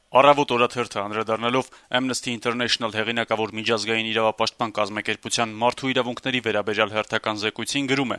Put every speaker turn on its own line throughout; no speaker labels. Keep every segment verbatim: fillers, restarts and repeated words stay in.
Առավոտ օրաթերթը անդրադառնալով Amnesty International հեղինակավոր միջազգային իրավապաշտպան կազմակերպության մարդու իրավունքների վերաբերյալ հերթական զեկույցին գրում է.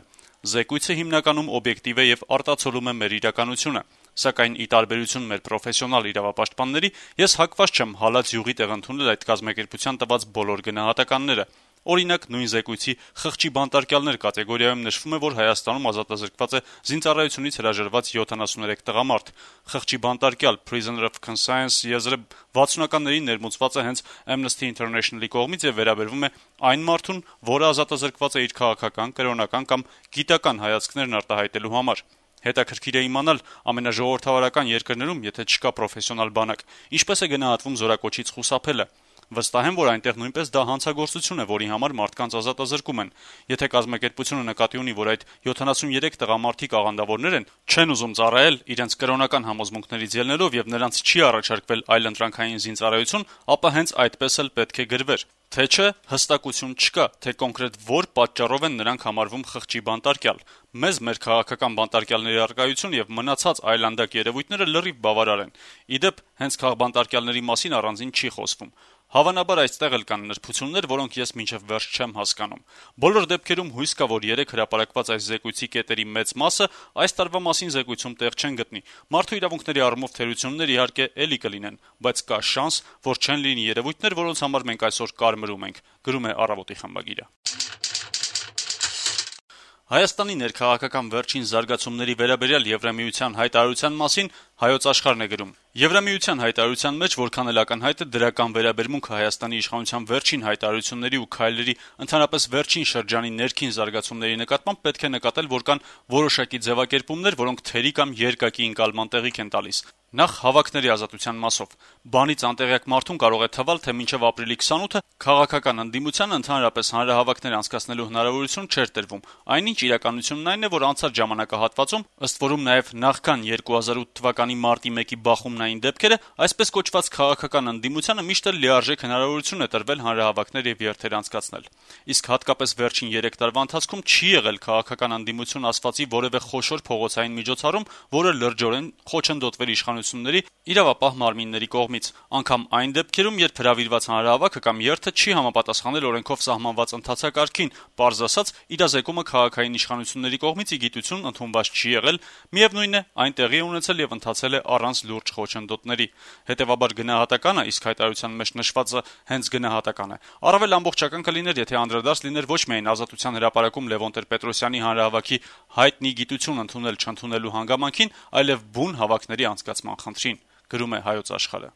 «Զեկույցը հիմնականում օբյեկտիվ է եւ արտացոլում է մեր իրականությունը, սակայն ի տարբերություն մեր պրոֆեսիոնալ իրավապաշտպանների, ես հակված չեմ հալած յուղի տեղ ընդունել այդ կազմակերպության տված բոլոր գնահատականները։ Օրինակ, նույն զեկույցի խղճի բանտարկյալներ կատեգորիայում նշվում է, որ Հայաստանում ազատազրկված է զինծառայությունից հրաժարված յոթանասուներեք տղամարդ։ Խղճի բանտարկյալ (prisoner of conscience) եզրը վաթսունականներին ներմուծված է հենց Amnesty International-ի կողմից եւ վերաբերվում է այն մարդուն, որը ազատազրկված է իր քաղաքական, կրոնական կամ գիտական հայացքներն արտահայտելու համար։ Հետաքրքիր է իմանալ ամենաժողովրդավարական երկրներում, եթե չկա պրոֆեսիոնալ բանակ, ինչպես է գնահատվում զորակոչից խուսափելը։ Վստահ եմ, որ այնտեղ նույնպես դա հանցագործություն է, որի համար մարդկանց ազատազրկում են։ Եթե կազմակերպությունը նկատի ունի, որ այդ յոթանասուներեք տղամարդիկ աղանդավորներ են, չեն ուզում ծառայել իրենց կրոնական համոզմունքներից ելնելով եւ նրանց չի առաջարկվել այլընտրանքային զինծառայություն, ապա հենց այդպես էլ պետք է գրվեր։ Թե չէ, հստակություն չկա, թե կոնկրետ որ պատճառով են նրանք համարվում խղճի բանտարկյալ։ Մեզ մեր քաղաքական բանտարկյալների առկայություն եւ մնացած այլանդակ երևույթները լրիվ բավարար են։ Իդեպ, հենց քաղբանտարկյալների մասին առանձին չի խոսվում։ Հավանաբար այստեղ էլ կան նրբություններ, որոնք ես մինչև վերջ չեմ հասկանում։ Բոլոր դեպքերում հույս կա, որ երեք հրապարակված այս զեկույցի կետերի մեծ մասը այս տարվա մասին զեկույցում տեղ չեն գտնի։ Մարդու իրավունքների առումով թերություններ իհարկե էլի կլինեն, բայց կա շանս, որ չեն լինի երևույթներ, որոնց համար մենք այսօր կարմրում ենք, գրում է «Առավոտ»-ի խմբագիրը։ Հայաստանի ներքաղաքական վերջին զարգացումների վերաբերյալ Եվրամիության հայտարարության մասին Հայոց Աշխարհն է գրում. Եվրամիության հայտարարության մեջ որքան էլ ակնհայտ է դրական վերաբերմունքը Հայաստանի իշխանության վերջին հայտարարությունների ու քայլերի, ընդհանրապես վերջին շրջանի ներքին զարգացումների նկատմամբ պետք է նկատել, որ կան որոշակի ձևակերպումներ, որոնք թերի կամ երկակի ընկալման տեղիք են տալիս։ Նախ հավաքների ազատության մասով։ Բանից անտեղյակ մարդուն կարող է թվալ, թե մինչև ապրիլի քսանութը քաղաքական ընդդիմությանը ընդհանրապես հանրահավաքներ անցկացնելու հնարավորություն չէր տրվում։ Այնինչ իրականությունն այն է, որ անցած ժամանակահատվածում, ըստ որում նաև նախքան երկու հազար ութ թվականի մարտի մեկի բախումնային դեպքերը, այսպես կոչված քաղաքական ընդդիմությանը միշտ էլ լիարժեք հնարավորություն է տրվել հանրահավաքներ եւ երթեր անցկացնել։ Իսկ հատկապես վերջին երեք տարվա ընթացքում չի եղել քաղաքական ընդդիմություն ասվածի որևէ խոշոր փողոցային միջոցառում, որը լրջորեն խոչընդոտվեր իշխանությունների իրավապահ մարմինների կողմից, անգամ այն դեպքերում, երբ հրավիրված հանրահավաքը կամ երթը չի համապատասխանել օրենքով սահմանված ընթացակարգին, պարզ ասած, իրազեկումը քաղաքային իշխանությունների կողմից ի գիտություն ընդունված չի եղել, միևնույն է, այն տեղի է ունեցել եւ ընթացել է առանց լուրջ խոչընդոտների։ Հետեւաբար գնահատականը, իսկ հայտարարության մեջ նշվածը հենց գնահատական է, առավել ամբողջական կլիներ, եթե անդրադարձ լիներ ոչ միայն Ազատության հրապարակում Լևոն Տեր-Պետրոսյանի հանրահավաքի հայտնի գիտություն ընդունել-չընդունելու հանգամանքին, այլև բուն հավաքների անցկացման խնդրին, գրում է Հայոց Աշխարհը։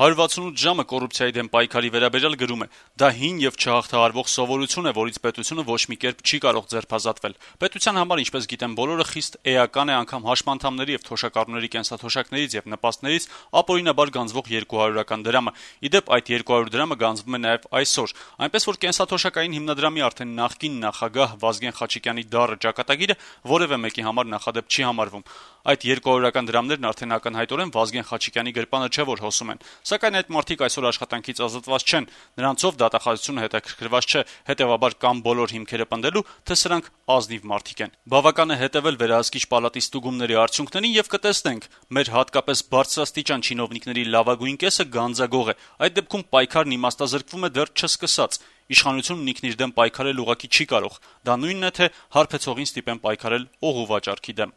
հարյուր վաթսունութ ժամը կոռուպցիայի դեմ պայքարի վերաբերյալ գրում է. դա հին եւ չհաղթահարվող սովորություն է, որից պետությունը ոչ մի կերպ չի կարող ձերբազատվել։ Պետության համար, ինչպես գիտեն բոլորը, խիստ էական է անգամ հաշմանդամների եւ թոշակառուների կենսաթոշակներից եւ նպաստներից ապօրինաբար գանձվող երկու հարյուրական դրամը։ Իդեպ այդ երկու հարյուր դրամը գանձվում է նաեւ այսօր, այնպես որ կենսաթոշակային հիմնադրամի արդեն նախկին նախագահ Վազգեն Խաչիկյանի դառը ճակատագիրը որևէ մեկի համար նախադեպ չի համարվում։ Այդ երկու հարյուրական դրամներն արդեն ակնհայտորեն Վազգեն Խաչիկյանի գրպանը չէ, որ հոսում են։ Սակայն այդ մարդիկ այսօր աշխատանքից ազատված չեն, նրանցով դատախազությունը հետաքրքրված չէ, հետեւաբար կամ բոլոր հիմքերը պնդելու, թե սրանք ազնիվ մարդիկ են։ Բավական է հետևել վերահսկիչ պալատի ստուգումների արդյունքներին եւ կտեսնենք, մեր հատկապես բարձրաստիճան չինովնիկների լավագույն կեսը գանձագող է։ Այդ դեպքում պայքարն իմաստազրկվում է դեռ չսկսած։ Իշխանությունն ինքն իր դեմ պայքարել ուղղակի չի կարող։ Դա նույնն է, թե հարբեցողին ստիպեն պայքարել ող ու վաճառքի դեմ։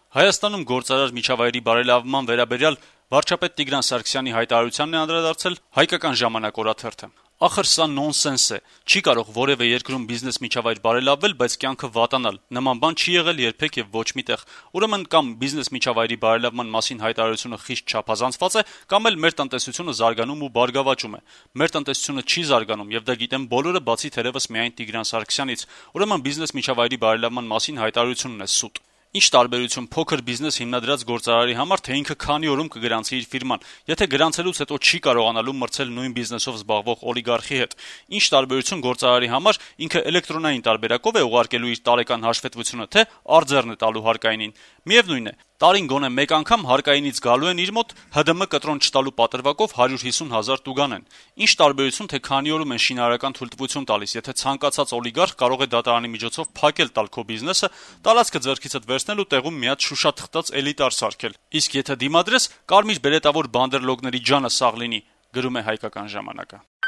Հայաստանում գործարար միջավայրի բարելավման վերաբերյալ վարչապետ Տիգրան Սարգսյանի հայտարարությանն է անդրադարձել Հայկական ժամանակ օրաթերթը։ Ախր սա նոնսենս է։ Չի կարող որևէ երկրում բիզնես միջավայր բարելավվել, բայց կյանքը վատանալ։ Նման բան չի եղել երբեք եւ ոչ միտեղ։ Ուրեմն կամ բիզնես միջավայրի բարելավման մասին հայտարարությունը խիստ չափազանցված է, կամ էլ մեր տնտեսությունը զարգանում ու բարգավաճում է։ Մեր տնտեսությունը չի զարգանում եւ դա գիտեն բոլորը, բացի թերևս միայն Տիգրան Սարգսյանից։ Ուրեմն բիզնես միջավայրի բարելավման մասին հայտարարությունն է սուտ։ Ինչ տարբերություն փոքր բիզնես հիմնադրած գործարարի համար, թե ինքը քանի օրում կգրանցի իր ֆիրման, եթե գրանցելուց հետո չի կարողանալու մրցել նույն բիզնեսով զբաղվող օլիգարխի հետ։ Ինչ տարբերություն գործարարի համար, ինքը էլեկտրոնային տարբերակով է ուղարկելու իր տարեկան հաշվետվությունը, թե արձեռն է տալու հարկայինին։ Միևնույն է, տարին գոնե մեկ անգամ հարկայինից գալու են իր մոտ ՀԴՄ կտրոն չտալու պատրվակով հարյուր հիսուն հազար տուգանեն: Ինչ տարբերություն, թե քանի օրում են շինարարական թույլտվություն տալիս, եթե ցանկացած օլիգարխ կարող է դատարանի միջոցով փակել տալ քո բիզնեսը, տարածքը ձեռքիցդ վերցնել ու տեղում մի հատ շուշաթղթած էլիտար սարքել: Իսկ եթե դիմադրես, կարմիր բերետավոր բանդերլոգների ջանը սաղ լինի», գրում է «Հայկական ժամանակ»-ը: